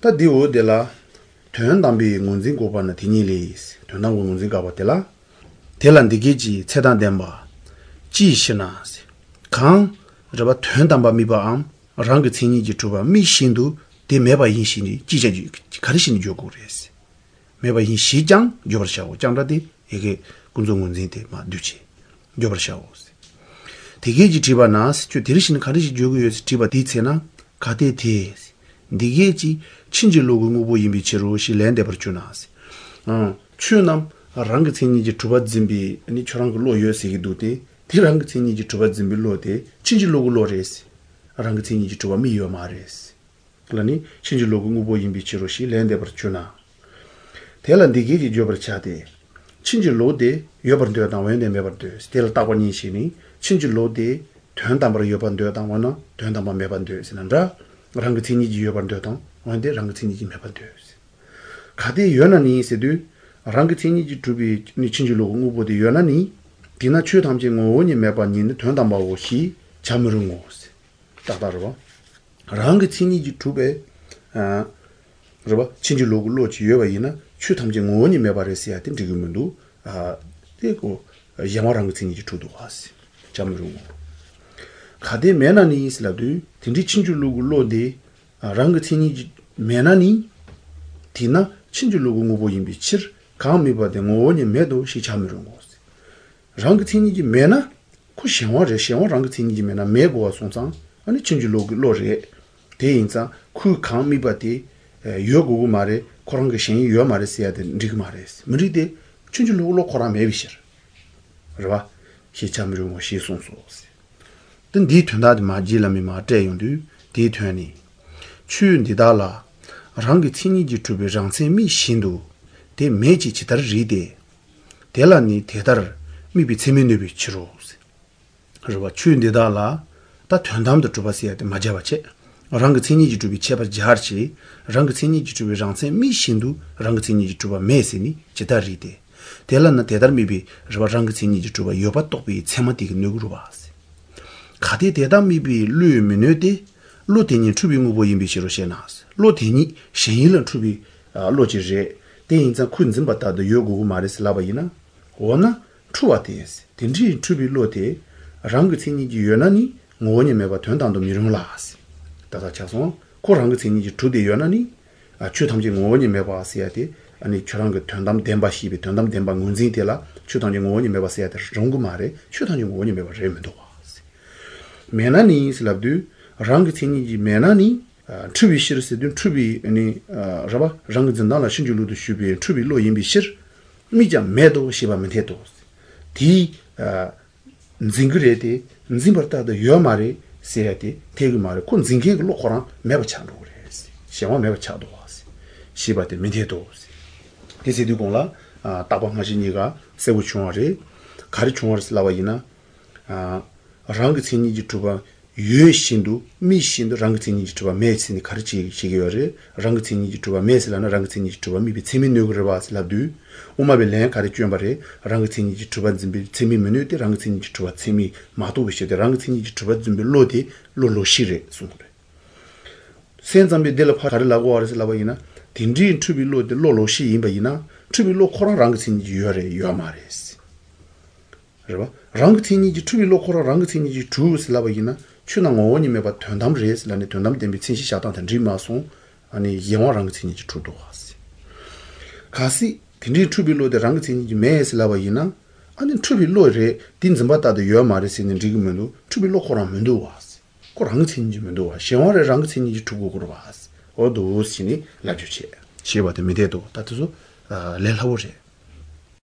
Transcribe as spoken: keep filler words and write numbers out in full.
다 디오데라 퇴연담비 문진 고바나 디니리스 퇴연담 문진 가바텔라 텔란디게지 체단덴바 지시나스 강 저바 퇴연담바 미바암 랑게 친이지 주바 미신도 데메바 인신이 지제지 가르시는 요구레스 메바 인 시장 요버샤고 장라디 이게 군종 문진데 마 두치 요버샤고 디게지 지바나스 주 디르시는 가르시 요구에서 지바 디체나 가데티 디게지 친질로고 무보 임비치로 실랜데 버추나스 어 추남 랑게 친이지 주바 짐비 아니 저랑 걸로 요세기 두데 디랑게 친이지 주바 짐비 로데 친질로고 로레스 랑게 친이지 주바 미요 마레스 그러니 친질로고 무보 임비치로 실랜데 버추나 텔란디게지 조버차데 친질로데 요버드어 나wen데 메버드 스텔 타고니시니 친질로데 된담으로 요번되어 당원은 된담만 매번되어 있는다 랑그티니지 요번되어 당 원데 랑그티니지 매번되어 있어 가데 연안이 있어도 랑그티니지 두비 니 친질로 공부보다 연안이 디나 추담지 오니 매번인데 된담하고 시 잠으른 거스 따다로 랑그티니지 두베 아 그러봐 친질로 로지 요바이나 추담지 오니 매번에서야 된 지금도 아 되고 야마랑그티니지 두도 왔어 잠으른 거 가데 메나니 있라도 딘디 친줄로글로데 랑그티니 메나니 디나 친줄로고 무보 임비치 감미바데 모니 메도 시참으로 거스 랑그티니 메나 쿠시와레 시와 랑그티니 메나 메고와 송상 아니 친줄로글로레 대인자 쿠 감미바데 요고고 말에 코랑게 신이 요 말에 써야 돼 리그 말에스 무리데 친줄로글로 코라 메비시 그러봐 시참으로 뭐 시송소스 든 디트나드 마질라미 마테용두 디트니 추은디달라 랑기 친이지 투베 장세미 신도 데 메지 치다르 리데 델라니 테다르 미비 체미누비 치로스 그러바 추은디달라 다 편담도 주바시야데 마자바체 랑기 친이지 투비 체바 자르치 랑기 친이지 투베 장세미 신도 랑기 친이지 투바 메시니 치다리데 델라나 테다르 미비 저바 랑기 친이지 투바 요바 똑비 체마티기 누구로바스 가데 대담미비 르미네데 로테니 추비 무보 임비시로 셰나스 로테니 셴일은 추비 로지제 대인자 쿤즘 받다도 요구 마레슬라바이나 오나 추와테스 딘지 추비 로테 랑그티니지 요나니 ngo니 메바 된단도 미릉라스 다다 차송 코랑그티니지 투데 요나니 아 추탐지 ngo니 메바스야데 아니 저랑그 된담 덴바시비 된담 덴바 문진텔라 추탐지 ngo니 메바스야데 정구 말에 추탐지 ngo니 메바 레멘도 메나니 슬랍두 랑그티니지 메나니 추비 시르스든 추비 아니 라바 랑그진달라 신줄루도 슈비 추비 로임비시 미자 메도 시바멘테도 디 징그레데 징버타도 요마리 세야데 테그마리 콘 징게글 로코랑 메바찬도 그래스 시와 메바차도 와스 시바데 멘테도 데세디공라 따방하시니가 세부충어리 가리충어리 슬라바이나 아 랑그티니지 투바 유신도 미신도 랑그티니지 투바 메시니 가르치 시기여레 랑그티니지 투바 메슬라나 랑그티니지 투바 미비 체미누그르바슬라두 오마벨레 가르치엄바레 랑그티니지 투바 짐비 체미메누데 랑그티니지 투바 체미 마도비시데 랑그티니지 투바 짐비 로디 로로시레 숨그레 센잠비 델파 가르라고 아르슬라바이나 딘디 투비 로데 로로시 임바이나 투비 로 코랑 랑그티니지 유여레 유아마레스 그러봐 랑그티니지 투비 로코라 랑그티니지 주슬라바이나 추낭 오니메 바 된담레스라네 된담 덴비 친시 샤탄 드리마송 아니 영화 랑그티니지 투도 왔어 가시 딘디 투비 로데 랑그티니지 메슬라바이나 아니 투비 로레 딘즘바다도 요마레스는 지금은도 투비 로코라 면도 왔어 코 랑그티니지 면도 와 영화레 랑그티니지 투고로 왔어 어도 신이 라주체 시바데 미데도 따투소 아 렐하오제